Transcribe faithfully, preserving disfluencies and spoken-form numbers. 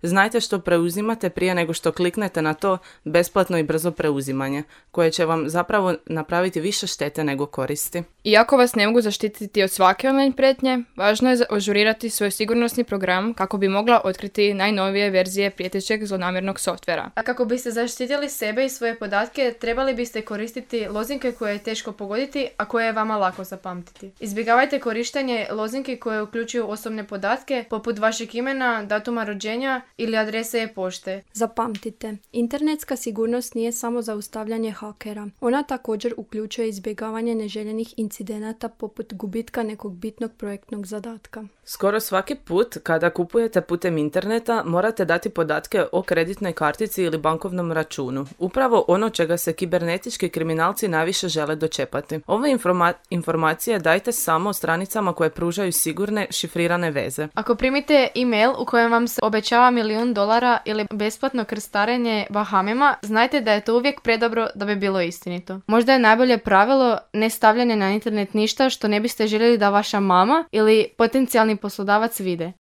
Znajte što preuzimate prije nego što kliknete na to besplatno i brzo preuzimanje, koje će vam zapravo napraviti više štete nego koristi. Iako vas ne mogu zaštititi od svake online prijetnje, važno je ažurirati svoj sigurnosni program kako bi mogla otkriti najnovije verzije prijetećeg zlonamjernog softvera. A kako biste zaštitili sebe i svoje podatke, trebali biste koristiti lozinke koje je teško pogoditi, a koje je vama lako zapamtiti. Izbjegavajte korištenje lozinki koje uključuju osobne podatke, poput vašeg imena, datuma rođenja ili adrese e-pošte. Zapamtite, internetska sigurnost nije samo zaustavljanje hakera. Ona također uključuje izbjegavanje neželjenih incidenata poput gubitka nekog bitnog projektnog zadatka. Skoro svaki put kada kupujete putem interneta morate dati podatke o kreditnoj kartici ili bankovnom računu. Upravo ono čega se kibernetički kriminalci najviše žele dočepati. Ove informa- informacije dajte samo stranicama koje pružaju sigurne, šifrirane veze. Ako primite e-mail u kojem vam se obećava milijun dolara ili besplatno krstarenje Bahamima, znajte da je to uvijek predobro da bi bilo istinito. Možda je najbolje pravilo ne stavljanje na internet ništa što ne biste željeli da vaša mama ili potencijalni poslodavac vide.